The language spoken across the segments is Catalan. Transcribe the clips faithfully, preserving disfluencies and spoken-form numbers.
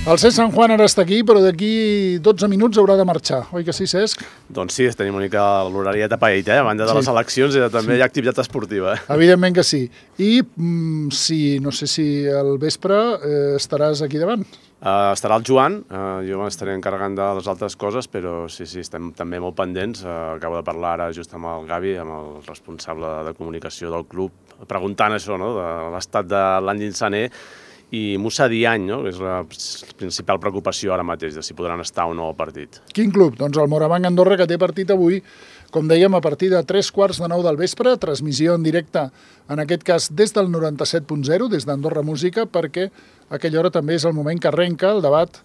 El Cesc Sant Juan ara està aquí, però d'aquí dotze minuts haurà de marxar. Oi que sí, Cesc? Doncs sí, tenim una mica l'horari tapadit, eh? A banda de les eleccions i també hi ha activitat esportiva. Evidentment que sí. I mm, si, no sé si al vespre eh, estaràs aquí davant. Uh, estarà el Joan, uh, jo m'estaré encarregant de les altres coses, però sí, sí, estem també molt pendents. Uh, acabo de parlar ara just amb el Gavi, amb el responsable de comunicació del club, preguntant això, no?, de l'estat de l'Andin Sané, i Moussa Diagne, no?, que és la principal preocupació ara mateix, de si podran estar o no al partit. Quin club? Doncs el Morabanc Andorra, que té partit avui, com dèiem, a partir de tres quarts de nou del vespre, transmissió en directe, en aquest cas des del noranta-set punt zero, des d'Andorra Música, perquè a aquella hora també és el moment que arrenca el debat,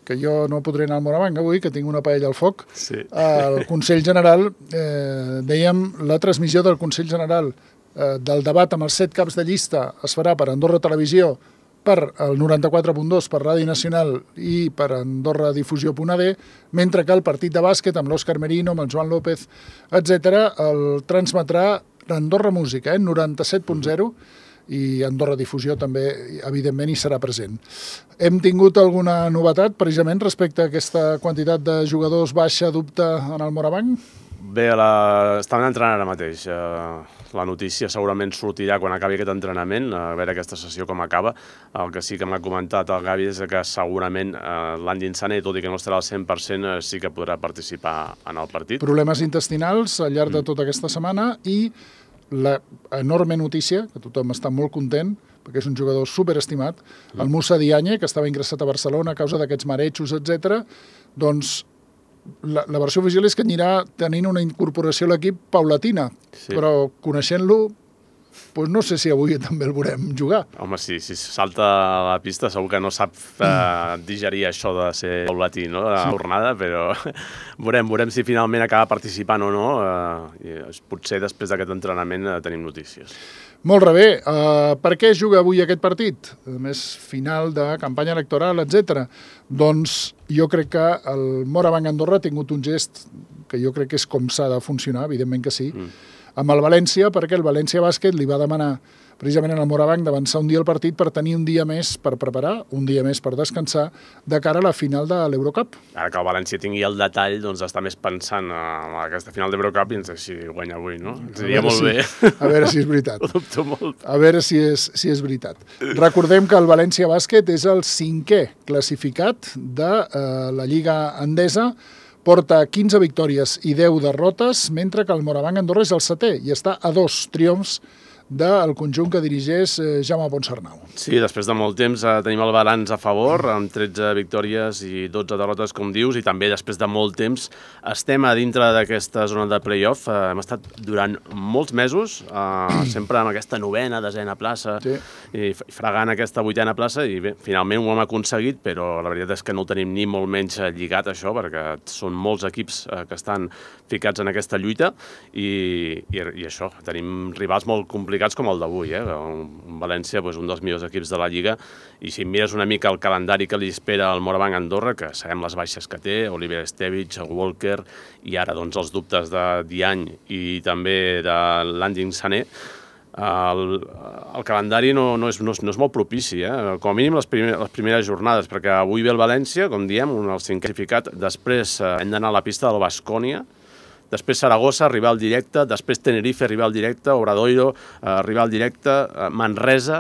que jo no podré anar al Morabanc avui, que tinc una paella al foc, sí. El Consell General, eh, dèiem, la transmissió del Consell General eh, del debat amb els set caps de llista es farà per Andorra Televisió, per el noranta-quatre punt dos, per Ràdio Nacional i per Andorra Difusió punt a de, mentre que el partit de bàsquet amb l'Òscar Merino, amb el Joan López, etcètera, el transmetrà Andorra Música, eh, noranta-set punt zero, i Andorra Difusió també, evidentment, hi serà present. Hem tingut alguna novetat, precisament, respecte a aquesta quantitat de jugadors baixa, dubte en el Morabanc? Bé, la... estaven entrenant ara mateix. Uh... La notícia segurament sortirà quan acabi aquest entrenament, a veure aquesta sessió com acaba. El que sí que m'ha comentat el Gavi és que segurament eh, l'Andin Sané, tot i que no estarà al cent per cent, eh, sí que podrà participar en el partit. Problemes intestinals al llarg de tota aquesta setmana i la enorme notícia, que tothom està molt content, perquè és un jugador superestimat, el Moussa Diagne, que estava ingressat a Barcelona a causa d'aquests marejos, etcètera, doncs La, la versió oficial és que anirà tenint una incorporació a l'equip paulatina, sí. Però coneixent-lo, doncs no sé si avui també el veurem jugar. Home, sí, si salta a la pista segur que no sap eh, digerir això de ser paulatí, no?, la sí. jornada, però veurem, veurem si finalment acaba participant o no. Eh, i potser després d'aquest entrenament eh, tenim notícies. Molt bé. Uh, per què juga avui aquest partit? A més, final de campanya electoral, etcètera. Doncs jo crec que el Morabanc Andorra ha tingut un gest que jo crec que és com s'ha de funcionar, evidentment que sí, mm. amb el València, perquè el València Bàsquet li va demanar precisament en el Morabanc d'avançar un dia al partit per tenir un dia més per preparar, un dia més per descansar, de cara a la final de l'Eurocup. Ara que el València tingui el detall, doncs està més pensant en aquesta final d'Eurocup i ens si guanya avui, no? Ens diria molt si, bé. A veure si és veritat. Ho dubto molt. A veure si és, si és veritat. Recordem que el València Bàsquet és el cinquè classificat de eh, la Lliga Endesa, porta quinze victòries i deu derrotes, mentre que el Morabanc Andorra és el setè i està a dos triomfs del conjunt que dirigeix Jaume Ponsarnau. Sí, després de molt temps eh, tenim el balanç a favor, amb tretze victòries i dotze derrotes, com dius, i també després de molt temps estem a dintre d'aquesta zona de play-off. Eh, hem estat durant molts mesos, eh, sempre amb aquesta novena, desena plaça, sí. i fregant aquesta vuitena plaça, i bé, finalment ho hem aconseguit, però la veritat és que no ho tenim ni molt menys lligat, això, perquè són molts equips eh, que estan ficats en aquesta lluita, i, i, i això, tenim rivals molt complicats, com el d'avui, eh? Un València, doncs, un dels millors equips de la Lliga, i si mires una mica el calendari que li espera al Morabanc Andorra, que sabem les baixes que té, Oliver Estevich, Walker, i ara doncs, els dubtes de Diagne i també de l'Andin Sané, el, el calendari no, no, és, no, és, no és molt propici, eh? Com a mínim les, primer, les primeres jornades, perquè avui ve el València, com diem, un el cinquè classificat, després eh, hem d'anar a la pista del Baskonia, després Saragossa, rival directe, després Tenerife, rival directe, Obradoiro, eh, rival directe, eh, Manresa,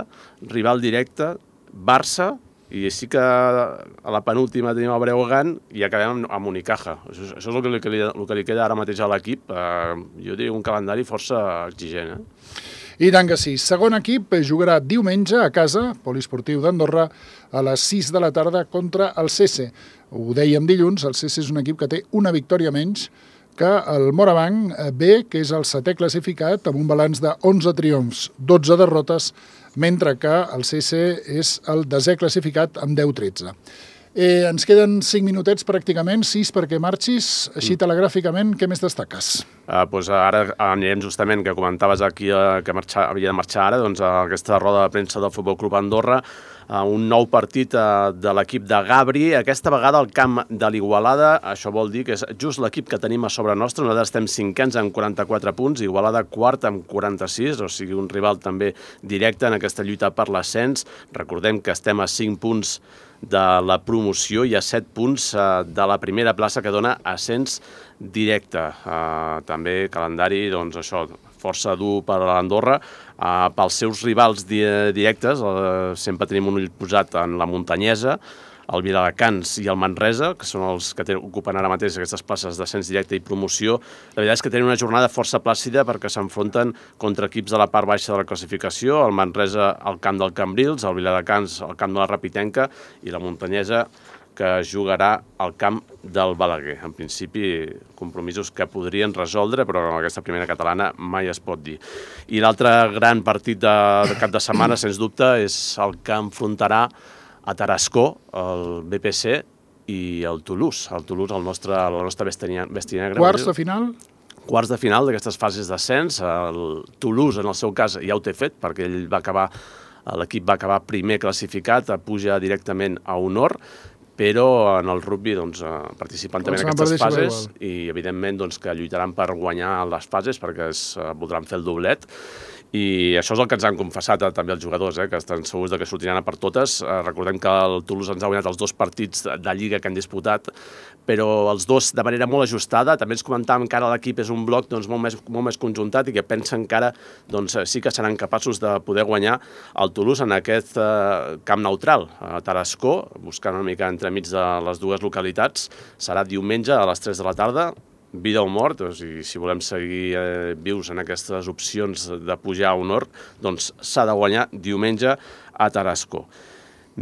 rival directe, Barça, i sí que a la penúltima tenim el Breogán i acabem amb Unicaja. Això, això és el que, li, el que li queda ara mateix a l'equip. Eh, jo diria un calendari força exigent. Eh? I tant que sí. Segon equip jugarà diumenge a casa, Poliesportiu d'Andorra, a les sis de la tarda contra el C S. Ho dèiem dilluns, el C S és un equip que té una victòria menys que el Morabanc B, que és el setè classificat, amb un balanç de onze triomfs, dotze derrotes, mentre que el C S és el desè classificat amb deu tretze. Eh, ens queden cinc minutets pràcticament, sis perquè marxis, així telegràficament, què més destaques? Uh, doncs ara anirem justament, que comentaves aquí uh, que marxar, havia de marxar ara, doncs a aquesta roda de premsa del Futbol Club Andorra, uh, un nou partit uh, de l'equip de Gabri, aquesta vegada al camp de l'Igualada. Això vol dir que és just l'equip que tenim a sobre nostre. Nosaltres estem cinquens amb quaranta-quatre punts, Igualada quart amb quaranta-sis, o sigui un rival també directe en aquesta lluita per l'ascens. Recordem que estem a cinc punts de la promoció i a set punts uh, de la primera plaça que dona ascens directe. Uh, també calendari, doncs això, força dur per a l'Andorra. Uh, pels seus rivals di directes, uh, sempre tenim un ull posat en la Muntanyesa, el Viladecans i el Manresa, que són els que ocupen ara mateix aquestes places d'ascens directe i promoció. La veritat és que tenen una jornada força plàcida perquè s'enfronten contra equips de la part baixa de la classificació, el Manresa al camp del Cambrils, el Viladecans al camp de la Rapitenca i la Muntanyesa que jugarà al camp del Balaguer. En principi, compromisos que podrien resoldre, però en aquesta primera catalana mai es pot dir. I l'altre gran partit de, de cap de setmana, sens dubte, és el que enfrontarà a Tarascó, el B P C i el Toulouse. El Toulouse, el nostre, la nostra bèstia negra. Quarts de final? Quarts de final d'aquestes fases d'ascens. El Toulouse, en el seu cas, ja ho té fet, perquè ell va acabar, l'equip va acabar primer classificat, puja directament a honor, però en el rugby doncs, participant també en aquestes fases i, evidentment, doncs, que lluitaran per guanyar les fases perquè es voldran fer el doblet. I això és el que ens han confessat eh, també els jugadors, eh, que estan segurs de que sortiran a per totes. Eh, recordem que el Toulouse ens ha guanyat els dos partits de Lliga que han disputat, però els dos de manera molt ajustada. També ens comentàvem que ara l'equip és un bloc doncs, molt, més, molt més conjuntat i que pensen que ara doncs, sí que seran capaços de poder guanyar el Toulouse en aquest eh, camp neutral, a Tarascó, buscant una mica entremig de les dues localitats. Serà diumenge a les tres de la tarda, vida o mort, o sigui, si volem seguir eh, vius en aquestes opcions de pujar a honor, doncs s'ha de guanyar diumenge a Tarascó.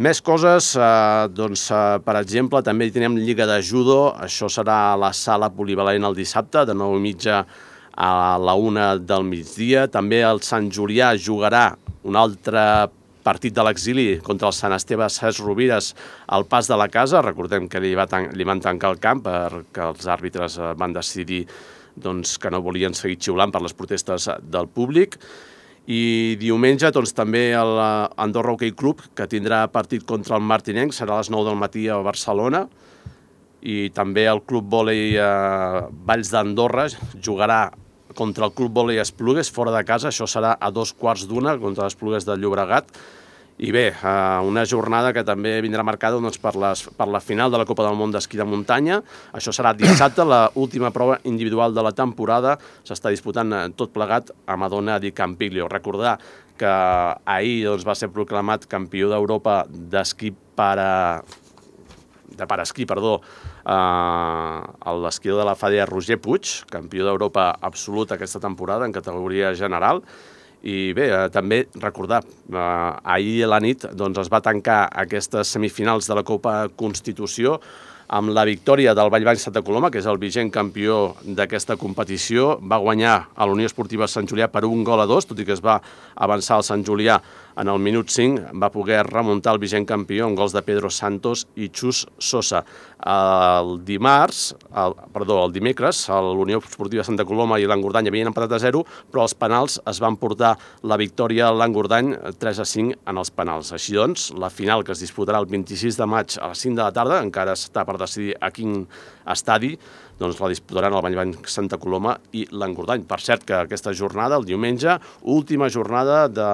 Més coses, eh, doncs, eh, per exemple, també hi tenim Lliga de Judo, això serà a la sala polivalent el dissabte, de nou i mitja a la una del migdia. També el Sant Julià jugarà un altre partit de l'exili contra el Sant Esteve Ses Rovires al Pas de la Casa. Recordem que li, va tan li van tancar el camp perquè els àrbitres van decidir doncs, que no volien seguir xiulant per les protestes del públic. I diumenge doncs, també l'Andorra Hockey Club, que tindrà partit contra el Martinenc, serà a les nou del matí a Barcelona. I també el Club Vòlei eh, Valls d'Andorra jugarà contra el Club Vòlei Esplugues, fora de casa. Això serà a dos quarts d'una contra les Esplugues de Llobregat. I bé, una jornada que també vindrà marcada doncs, per, les, per la final de la Copa del Món d'esquí de muntanya. Això serà dissabte, l'última prova individual de la temporada. S'està disputant tot plegat a Madonna di Campiglio. Recordar que ahir doncs, va ser proclamat campió d'Europa d'esquí per a... de paraesquí, perdó, eh, l'esquiador de la Fàdia Roger Puig, campió d'Europa absolut aquesta temporada en categoria general. I bé, eh, també recordar, eh, ahir a la nit doncs, es va tancar aquestes semifinals de la Copa Constitució amb la victòria del Vallbany Santa Coloma, que és el vigent campió d'aquesta competició. Va guanyar a la Unió Esportiva Sant Julià per un gol a dos, tot i que es va avançar al Sant Julià en el minut cinc, va poder remuntar el vigent campió amb gols de Pedro Santos i Xus Sosa. El dimarts, el, perdó, el dimecres, l'Unió Esportiva Santa Coloma i l'Engordany havien empatat a zero, però els penals es van portar la victòria a l'Engordany tres a cinc en els penals. Així doncs, la final que es disputarà el vint-i-sis de maig a les cinc de la tarda, encara està per decidir a quin estadi, doncs la disputaran el Vallbany Santa Coloma i l'Engordany. Per cert que aquesta jornada, el diumenge, última jornada de,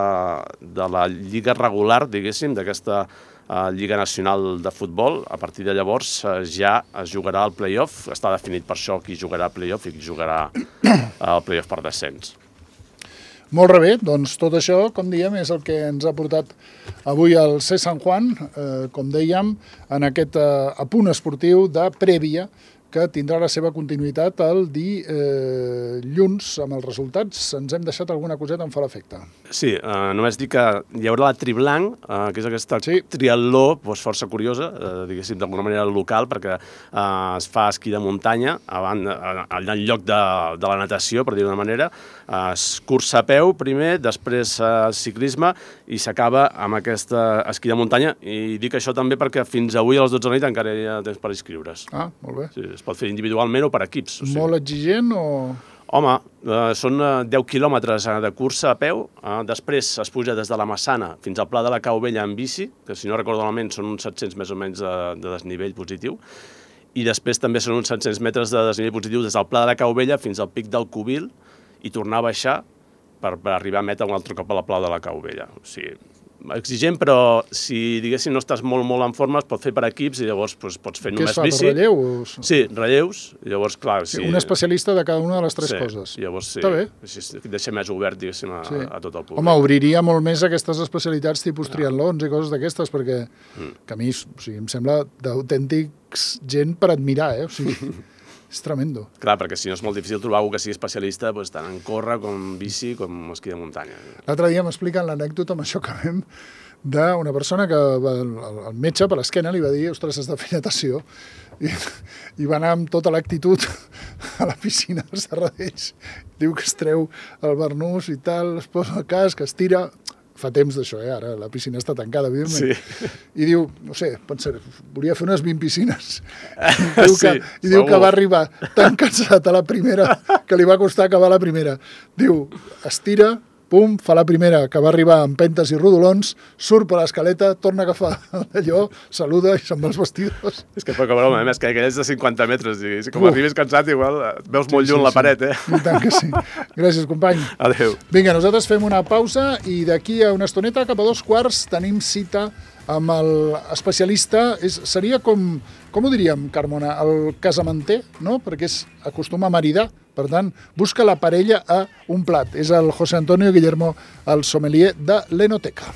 de la lliga regular, diguéssim, d'aquesta uh, Lliga Nacional de Futbol. A partir de llavors uh, ja es jugarà el play-off. Està definit per això qui jugarà el play-off i qui jugarà el play-off per descens. Molt bé, doncs tot això, com dèiem, és el que ens ha portat avui al C Sant Juan, eh, com dèiem, en aquest eh, apunt esportiu de prèvia que tindrà la seva continuïtat el dilluns eh, amb els resultats. Ens hem deixat alguna coseta en fa l'efecte. Sí, eh, només dir que hi haurà la Triblanc, eh, que és aquesta sí. triatló doncs, força curiosa, eh, diguéssim, d'alguna manera local, perquè eh, es fa esquí de muntanya, abans, allà en lloc de, de la natació, per dir d'una manera, eh, es cursa a peu primer, després eh, ciclisme, i s'acaba amb aquesta esquí de muntanya. I dic això també perquè fins avui a les dotze de la nit encara hi ha temps per inscriure's. Ah, molt bé. Sí, es pot fer individualment o per equips. O sigui. Molt exigent o...? Home, eh, són deu quilòmetres de cursa a peu, eh, després es puja des de la Massana fins al Pla de la Cau Vella en bici, que si no recordo malament són uns set-cents més o menys de, de desnivell positiu, i després també són uns set-cents metres de desnivell positiu des del Pla de la Cau Vella fins al Pic del Cubil i tornar a baixar per, per arribar a meta un altre cop a la Pla de la Cau Vella. O sigui, exigent, però si, diguéssim, no estàs molt, molt en forma, es pot fer per equips i llavors doncs, pots fer només bici. Què es fa, per relleu? Sí, relleus. Llavors, clar... Sí, un especialista de cada una de les tres sí, coses. Llavors, sí. Està bé. Així deixa més obert, diguéssim, a, sí. a tot el públic. Home, obriria molt més aquestes especialitats tipus no. triatlons i coses d'aquestes, perquè mm. que a mi o sigui, em sembla d'autèntics gent per admirar, eh? O sigui, és tremendo. Clar, perquè si no és molt difícil trobar algú que sigui especialista doncs, tant en córrer com bici com esquí de muntanya. L'altre dia m'expliquen l'anècdota amb això que vam d'una persona que va, el metge per l'esquena li va dir, ostres, has de fer natació, i, i va anar amb tota l'actitud a la piscina dels serradells. Diu que es treu el barnús i tal, es posa el casc, es tira... Fa temps d'això, eh? Ara la piscina està tancada, evidentment. Sí. I diu, no sé, pensar, volia fer unes vint piscines. I diu, que, sí, i diu que va arribar tan cansat a la primera que li va costar acabar la primera. Diu, es tira... pum, fa la primera, que va arribar amb pentes i rodolons, surt per l'escaleta, torna a agafar allò, saluda i se'n va als vestidors. És que poca broma, més que aquell és de cinquanta metres, i com arribis cansat, igual veus molt lluny sí, sí, la paret, eh? I tant que sí. Gràcies, company. Adéu. Vinga, nosaltres fem una pausa i d'aquí a una estoneta, cap a dos quarts, tenim cita amb l'especialista. Seria com, com ho diríem, Carmona, el casamenter, no? Perquè es acostuma a maridar. Per tant, busca la parella a un plat. És el José Antonio Guillermo, el sommelier de l'Enoteca.